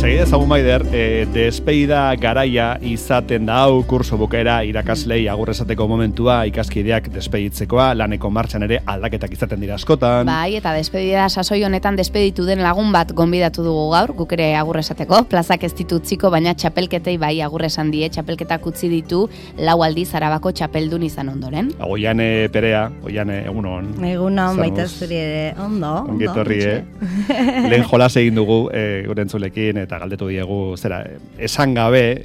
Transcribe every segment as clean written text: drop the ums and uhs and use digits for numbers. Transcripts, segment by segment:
Segide ezagun Maider, despedida garaia izaten da hau kurso bukaera irakaslei agur esateko momentua, ikaskideak despeditzekoa, laneko martxan ere aldaketak izaten dira askotan. Bai, eta despedida sasoi honetan despeditu den lagun bat gonbidatu dugu gaur, guk ere agur esateko, plazak ez ditu utziko, baina txapelketei bai agur esan die, txapelketak utzi ditu 4 aldiz Arabako txapeldun izan ondoren. Oiane Perea, Oiane, egunon. Egunon, baita zuri ere, ondo. Ongetorri, lehen jolas egin dugu gure entzulekin, eta galdetu diegu, zera, esan gabe,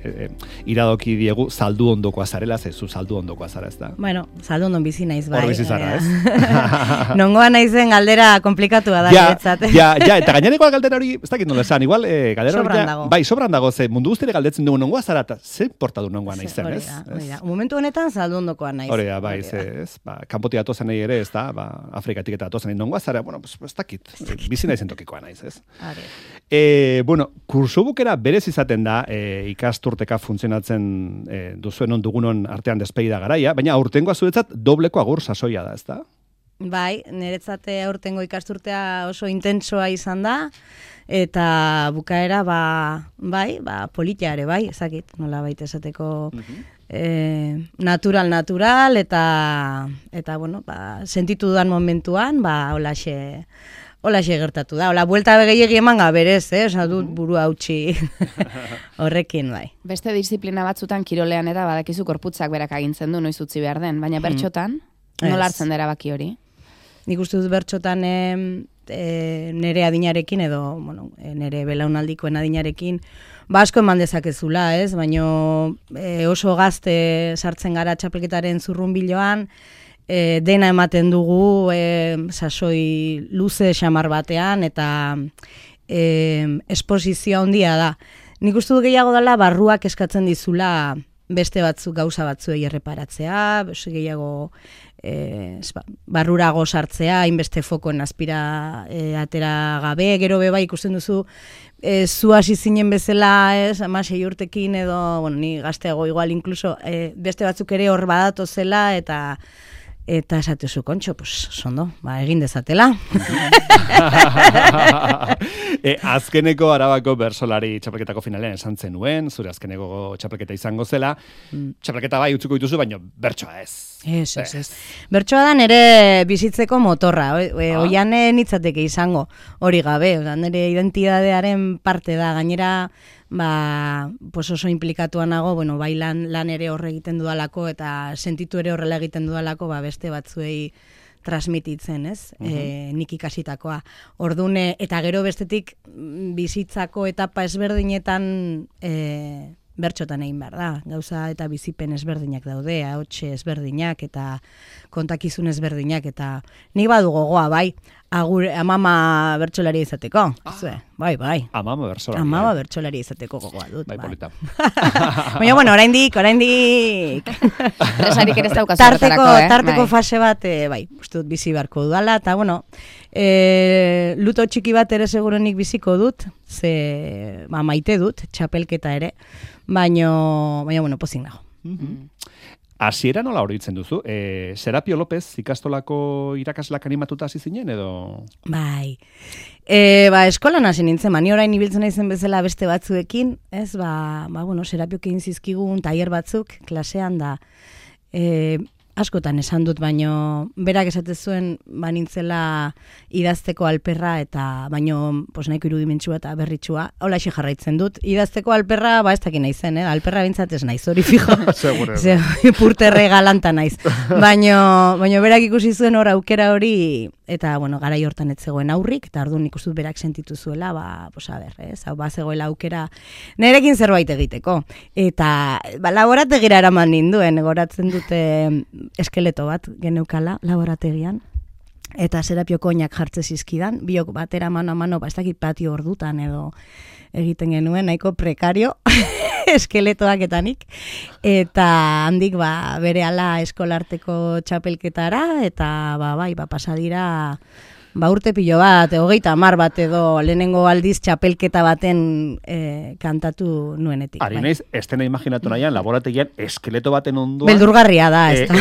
iradoki diegu, zaldu ondokoa zarela, zezu zaldu ondokoa zara, ez da? Bueno, zaldu ondon bizi naiz, bai. Hor bizi zara, ez? Nongoa naizen galdera komplikatua da, niretzat. Ja, eta gainereko galdera hori, ez dakit nola esan, igual, galdera hori, bai, sobran dago, ze mundu guztiere galdetzen dugu nongoa zara, eta ze porta du nongoa naizen, ez? Hori da, momentu honetan zaldu ondokoa naiz. Hori da, bai, ez, kanpotik atozen nahi ere, ez da, Afrikatik eta atozen nahi nongoa zara, bueno, ez dakit, bizi naizen tokikoa naiz, ez? Bueno, kursubukera berez izaten da ikasturteka funtzionatzen duzuen dugunon artean despedida garaia, baina aurtengoa zuretzat dobleko agur sasoia da, ezta? Bai, niretzate aurtengo ikasturtea oso intentsoa izan da, eta bukaera, politia ere, bai, ezakit, nola baita esateko natural, eta bueno, sentitu dudan momentuan, holaxe gertatu da. Hola, buelta gehiegi eman gaberez, dut buru hautsi horrekin, bai. Beste disiplina batzutan kirolean eta badakizu korputzak berak agintzen du noiz utzi behar den, baina bertxotan, nola hartzen dira erabaki hori? Nik uste dut bertxotan nere adinarekin edo, bueno, nere belaunaldikoen adinarekin, asko eman dezakezula, ez? Baina oso gazte sartzen gara txapelketaren zurrunbiloan, dena ematen dugu sasoi luze xamar batean eta esposizioa handia da. Nik uste du gehiago dela barruak eskatzen dizula beste gauza batzuei erreparatzea, gehiago barrurago sartzea, hainbeste fokoen azpira atera gabe, gero beba ikusten duzu zu hasi zinen bezala, 16 urtekin edo, bueno, ni gazteago igual inkluso, beste batzuk ere hor badatu zela eta esatezu kontxo, sondo, egin dezatela. Azkeneko Arabako bersolari txapelketako finalean esan zenuen, zure azkeneko txapelketa izango zela, txapelketa bai utziko dituzu, baina bertsoa ez. Ez. Bertsoa da nire bizitzeko motorra, oiane nitzateke izango hori gabe, nire identidadearen parte da, gainera, oso implikatuan nago, bueno, bai lan ere horre egiten dudalako eta sentitu ere horrela egiten dudalako, beste batzuei transmititzen, ez? Nik ikasitakoa. Ordune, eta gero bestetik bizitzako etapa ezberdinetan bertxotan egin behar da. Gauza eta bizipen ezberdinak daude, ahotxe ezberdinak eta kontakizun ezberdinak, eta nik badu gogoa, bai, amama bertsolari izateko. Bai. Amama bertsolari. Amama bertsolari izateko gogoa dut. Bai, polita. Baina, bueno, oraindik. Resarik ere ez daukazu tarteko fase bat, bai, uste dut bizi beharko dudala, eta, bueno, luto txiki bat ere segurenik biziko dut, ze maite dut, txapelketa ere, baina, bueno, pozik nago. Hasiera nola horitzen duzu? Serapio López ikastolako irakaslak animatuta hasi zinen edo? Bai. Eskolan hasi nintzen, ni orain ibiltzen naizen bezala beste batzuekin, ez, bueno, Serapiok egin zizkigun tailer batzuk klasean da. Askotan esan dut, baino berak esate zuen nintzela idazteko alperra eta baino nahiko irudimentsua eta berritsua. Holaxe jarraitzen dut. Idazteko alperra, ez dakit naizen, alperra bintzat ez naiz, hori fijo. Purterre galanta naiz. Baino berak ikusi zuen hor aukera hori, eta bueno, garai hortan ez zegoen aurrik, eta orduan ikusi dut berak sentitu zuela, zegoela aukera nerekin zerbait egiteko. Eta laborategira eraman ninduen, goratzen dute eskeleto bat geneukala laborategian, eta Serapioko oinak jartze zizkidan, biok batera mano a mano, ez dakit patio ordutan edo egiten genuen, nahiko prekario eskeletoak etanik, eta handik berehala eskolarteko txapelketara, eta pasadira urte pilo bat, 30 bat edo lehenengo aldiz txapelketa baten kantatu nuenetik. Ari naiz, estena imaginatu nahian, laborategian eskeleto baten onduan. Beldurgarria da, ez da.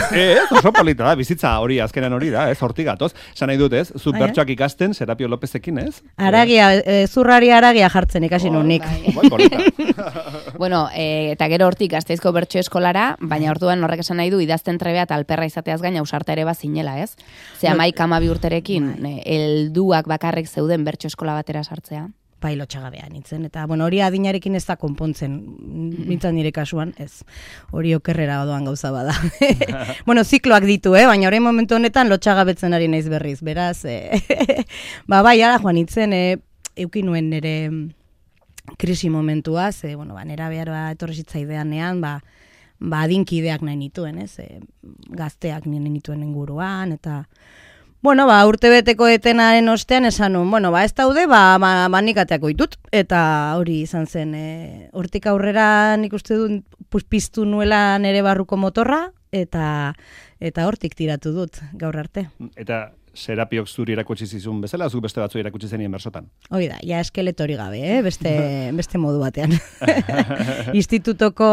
Oso polita da, bizitza hori, azkenan hori da, ez, hortik gatoz. Esan nahi dut, ez, zu bertsoak ikasten, Serapio Lopezekin, ez? Aragia, zurrari aragia jartzen ikasi nunik. Bueno, eta gero hortik Gasteizko bertso eskolara, baina orduan horrek esan nahi du idazten trebea eta alperra izateaz gaina ausarta ere bazinela, ez? Ze 11-12 urterekin helduak bakarrik zeuden bertso eskola batera sartzea. Bai, lotxagabea nintzen, eta bueno, hori adinarekin ez da konpontzen, nintzen nire kasuan, ez, hori okerrera doan gauza bada. Bueno, zikloak ditu, baina orain momentu honetan lotxagabetzen ari naiz berriz, beraz, bai, ara joan nintzen, eukin nuen nire krisi momentuaz, bueno, nera behar etorri zitzaideanean, adinkideak nahi nituen, ez, gazteak nahi nituen inguruan, eta bueno, urtebeteko etenaren ostean esan nun, bueno, ez daude, nikateako ditut, eta hori izan zen, hortik aurrera nik uste dut piztu nuela nere barruko motorra, eta hortik tiratu dut gaur arte. Eta Serapiok zuri erakutsi zizun bezala, zu beste batzu erakutsi zenien bersotan? Hori da, ja eskeletori gabe, beste modu batean. Institutoko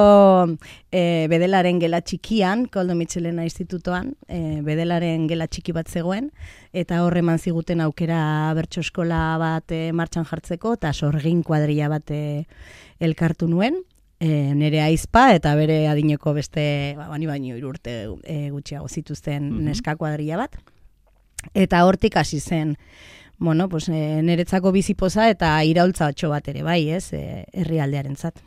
bedelaren gela txikian, Koldo Mitxelena institutoan, bedelaren gela txiki bat zegoen, eta horre eman ziguten aukera bertso eskola bat martxan jartzeko, eta sorgin kuadrilla bat elkartu nuen, nere aizpa eta bere adineko beste, bani baino 3 urte gutxiago zituzten neska kuadrilla bat. Eta hortik hasi zen, bueno, pues, niretzako bizipoza eta iraultza batxo bat ere, bai, ez, herrialdearentzat.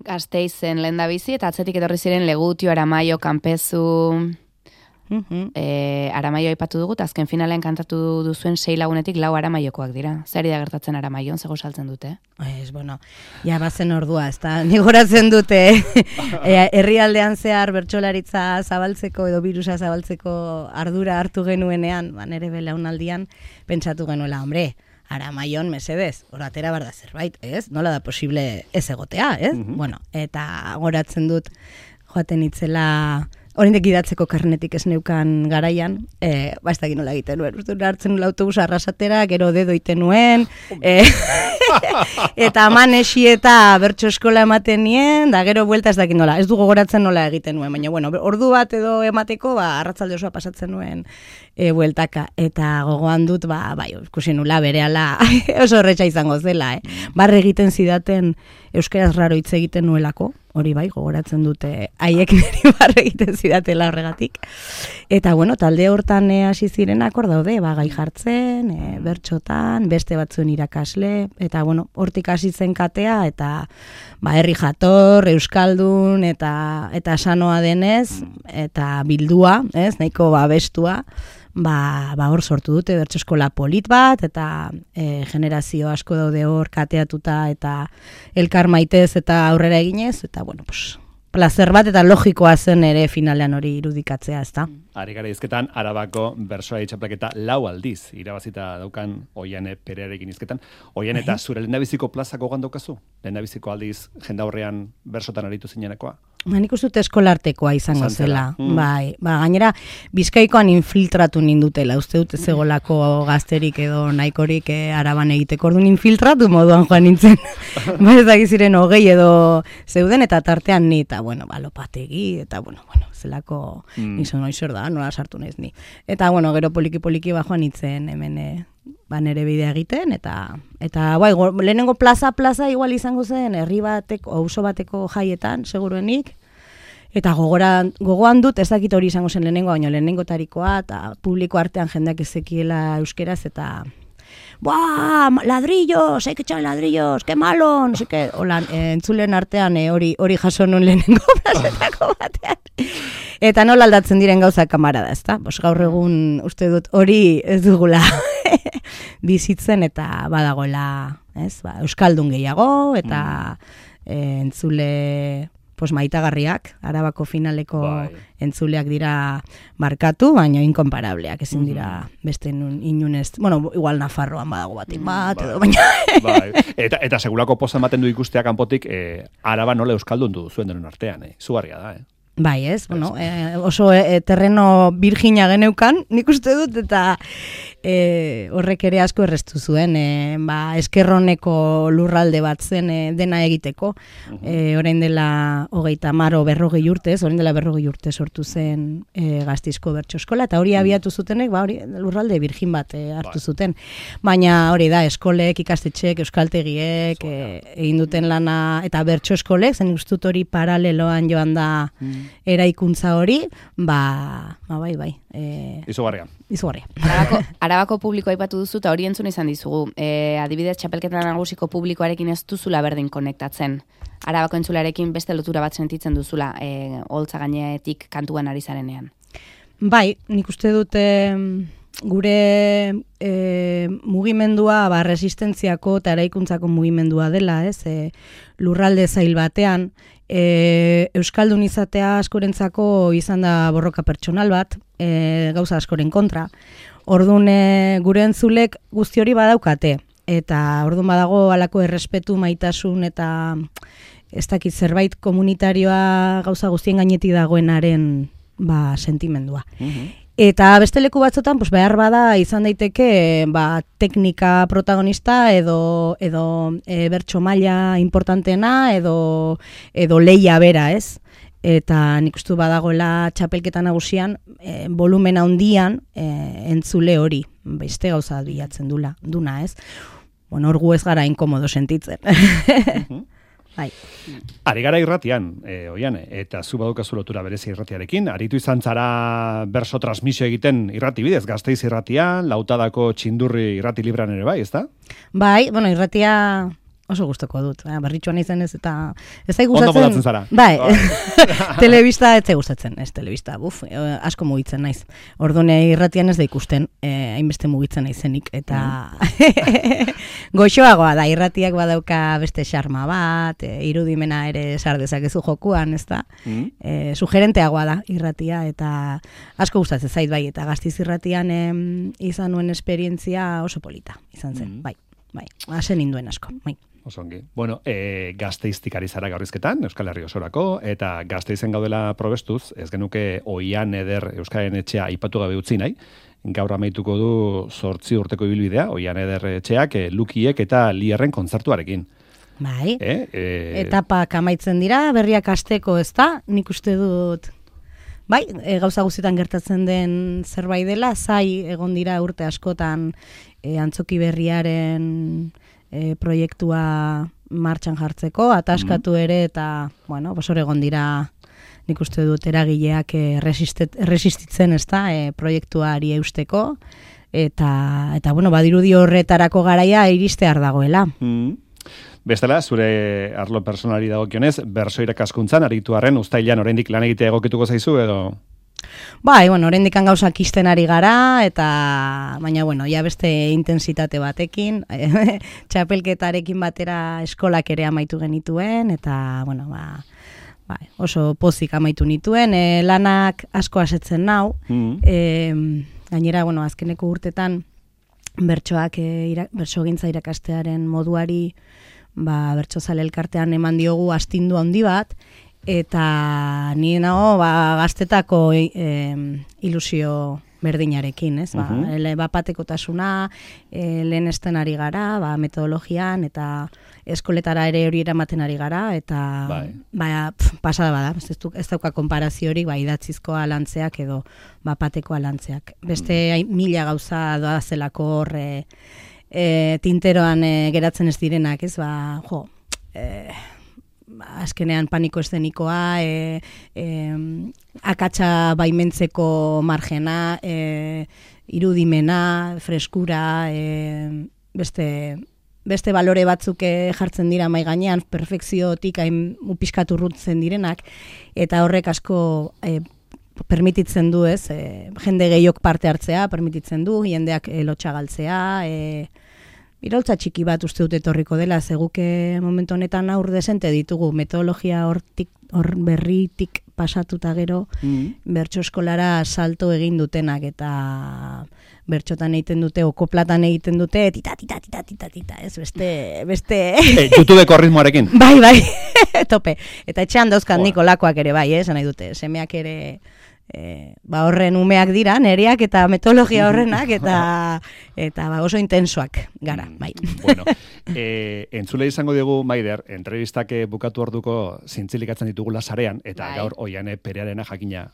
Gasteizen lehen da bizi, eta atzetik etorri ziren Legutio, Aramaio, Kanpezu, Aramaio aipatu dugu, eta azken finalean kantatu duzuen 6 lagunetik 4 Aramaiokoak dira. Zer da gertatzen Aramaion, zego saltzen dute? Bueno, ja bazen ordua, ez da, nigoratzen dute herrialdean zehar bertsolaritza zabaltzeko edo virusa zabaltzeko ardura hartu genuenean, nere belaunaldian, pentsatu genuela, hombre, Aramaion mesedez, oratera bar da zerbait, ez? Nola da posible ez egotea, ez? Bueno, eta goratzen dut joaten itzela oraindik idatzeko karnetik ez neukan garaian, ez dakit nola egiten nuen, hartzen nuen autobusa arrasatera, gero dedo iten nuen, eta manesi eta bertso eskola ematen nien, da gero buelta ez dakit nola, ez du gogoratzen nola egiten nuen, baina bueno, ordu bat edo emateko, arratzalde osoa pasatzen nuen bueltaka, eta gogoan dut, ikusi nula berehala oso horretxa izango zela, barre egiten zidaten euskaraz raro hitz egiten nuelako, hori bai, gogoratzen dute haiek niri barre egiten zidatela horregatik. Eta bueno, talde hortan hasi zirenak hor daude, gai jartzen, bertxotan, beste batzuen irakasle, eta bueno, hortik hasi zen katea, eta herri jator, euskaldun, eta sanoa denez, eta bildua, ez, nahiko bestua, hor sortu dute bertso eskola polit bat, eta generazio asko daude hor kateatuta, eta elkar maitez eta aurrera eginez, eta bueno, plazer bat eta logikoa zen ere finalean hori irudikatzea, ezta? Ari gara izketan, Arabako bersoa txapelketa 4 aldiz, irabazita daukan Oiane Perearekin izketan. Oian eta zure lehendabiziko plazako gandaukazu? Lehendabiziko aldiz jendaurrean bersotan aritu zinenekoa? Nik uste dut eskolartekoa izango zela. Bai, gainera, Bizkaikoan infiltratu nindutela, uste dut ez egolako gazterik edo nahikorik Araban egiteko, orduan infiltratu moduan joan nintzen. Ez dakiziren 20 edo zeuden, eta tartean ni, eta bueno, lopategi, eta bueno, zelako nizun oizor da, nola sartu naiz ni. Eta bueno, gero poliki-poliki joan nintzen hemen nere bidea egiten, eta lehenengo plaza igual izango zen, herri bateko, auzo bateko jaietan, seguruenik, eta gogoan dut, ez dakit hori izango zen lehenengo, lehenengo tarikoa, eta publiko artean jendeak ezekiela euskeraz, eta ladrillos, hay que echar ladrillos, qué malo, no sé qué, entzulen artean hori jaso nun lehenengo plazetako batean. Eta nola aldatzen diren gauza kamarada, ezta? Gaur egun uste dut hori ez dugula bizitzen, eta badagoela, euskaldun gehiago, eta entzule maitagarriak, Arabako finaleko entzuleak dira markatu, baina inkonparableak, ezin dira beste inunez, bueno, igual Nafarroan badago bat, edo baina... Eta segurako poza ematen du ikustea kanpotik, Araba nola euskaldun du zuen denon artean, zugarria da, Bai, ez, bueno, oso terreno virgina geneukan, nik uste dut, eta horrek ere asko errestu zuen, eskerroneko lurralde bat zen dena egiteko, orain dela 40 urtez, orain dela 40 urte sortu zen Gasteizko bertso eskola, eta hori abiatu zutenek, hori lurralde virgin bat hartu zuten, baina hori da, eskolek, ikastetxek, euskaltegiek, egin duten lana, eta bertso eskolek, zen ustut hori paraleloan joan da eraikuntza hori, bai. Izugarria. Arabako publikoa aipatu duzu, eta hori entzun izan dizugu. Adibidez, txapelketa nagusiko publikoarekin ez duzula berdin konektatzen. Arabako entzularekin beste lotura bat sentitzen duzula, holtza gainetik kantuan ari zarenean. Bai, nik uste dute gure mugimendua resistentziako eta eraikuntzako mugimendua dela, ez? Lurralde zail batean, euskaldun izatea askorentzako izan da borroka pertsonal bat, gauza askoren kontra. Orduan gure entzulek guzti hori badaukate, eta orduan badago halako errespetu, maitasun eta ez dakit zerbait komunitarioa gauza guztien gainetik dagoenaren sentimendua. Eta beste leku batzotan, behar bada izan daiteke teknika protagonista edo bertso maila importantena edo leia bera, ez? Eta nik uste badagoela txapelketa nagusian volumen handian entzule hori, beste gauza bilatzen duna, ez? Bueno, hor gu ez gara inkomodo sentitzen. Bai. Ari gara irratian, Oiane, eta zu badukazu lotura berezi irratiarekin, aritu izan zara berso transmisio egiten irrati bidez, Gasteiz irratian, Lautadako Txindurri irrati libran ere bai, ezta? Bai, bueno, irratia oso gustoko dut, berritxoan izan ez, eta ez da gustatzen. Ondo modatzen zara. Bai, telebista ez da gustatzen, ez telebista, asko mugitzen naiz. Ordune irratian ez da ikusten, hainbeste mugitzen naizenik, eta goxoagoa da, irratiak badauka beste xarma bat, irudimena ere sar dezakezu jokuan, ez da? Sugerenteagoa da irratia, eta asko gustatzen zait bai, eta Gasteiz irratian izan nuen esperientzia oso polita, izan zen, bai, hasen induen asko, bai. Osongi. Bueno, Gasteiztik ari zara gaurrizketan, Euskal Herri osorako, eta Gasteizen gaudela probestuz, ez genuke Oian Eder Euskaren etxea aipatu gabe utzi nahi, gaur amaituko du 8 urteko ibilbidea, Oian Eder etxeak, Lukiek eta Lierren kontzertuarekin. Bai, etapak amaitzen dira, berriak hasteko ez da, nik uste dut, bai, gauza guztietan gertatzen den zerbait dela, zai egon dira urte askotan antzoki berriaren proiektua martxan jartzeko, ataskatu ere, eta, bueno, hor egon dira, nik uste dut eragileak resistitzen, ez da, proiektuari eusteko, eta bueno, badirudi horretarako garaia iristear dagoela. Bestela, zure arlo personali dagokionez, berso irakaskuntzan, aritu arren, uztailan oraindik lan egitea egokituko zaizu, edo? Bai, bueno, oraindik gauzak isten ari gara, baina, bueno, ja beste intensitate batekin, txapelketarekin batera eskolak ere amaitu genituen, eta, bueno, oso pozik amaitu nituen, lanak asko asetzen nau, gainera, bueno, azkeneko urtetan, bertsogintza irakastearen moduari, bertsozale elkartean eman diogu astindu handi bat, eta ni nago gaztetako ilusio berdinarekin, ez? Bapatekotasuna, lehenesten ari gara, metodologian, eta eskoletara ere hori eramaten ari gara, eta pasada bada, ez dauka konparaziorik, idatzizkoa lantzeak edo bapatekoa lantzeak. Beste mila gauza doazelako hor tinteroan geratzen ez direnak, ez? Azkenean paniko eszenikoa, akatsa baimentzeko margena, irudimena, freskura, beste balore batzuk jartzen dira mai gainean, perfekziotik pixkat urrutzen direnak, eta horrek asko permititzen du, ez, jende gehiok parte hartzea, permititzen du, jendeak lotxa galtzea, iroltza txiki bat uste dut etorriko dela, zeguke momentu honetan aur desente ditugu, metodologia hor berritik pasatuta gero, bertso eskolara salto egin dutenak, eta bertxotan egiten dute, okoplatan egiten dute, tita, ez, beste... YouTubeko ritmoarekin. Bai, tope. Eta etxean dauzkan nik olakoak ere bai, nahi dute, semeak ere... horren umeak dira, neriak eta metodologia horrenak eta oso intensoak gara, bai. Bueno, entzule izango dugu, Maider, entrevistak bukatu orduko zintzilikatzen ditugula sarean, eta gaur Oiane Perearena jakina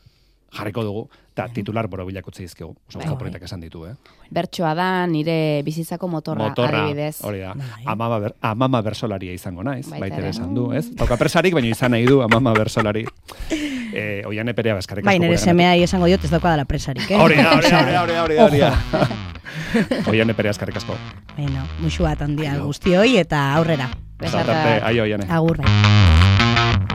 jarriko dugu, eta titular borobilak utzi dizkegu. Oso gauza esan ditu, Bertsoa da, nire bizitzako motorra adibidez. Hori da. Amama bersolaria izango naiz, baitere esan du, ez? Tauka presarik, baina izan nahi du amama bersolari. Oiane Perea eskarrik asko. Bai, nire semea esango diot ez dauka dela presarik, Hori da. Oiane Perea eskarrik asko. Bueno, muxu bat handia guztioi eta aurrera. Besarka. Aio, Oiane. Agur, bai.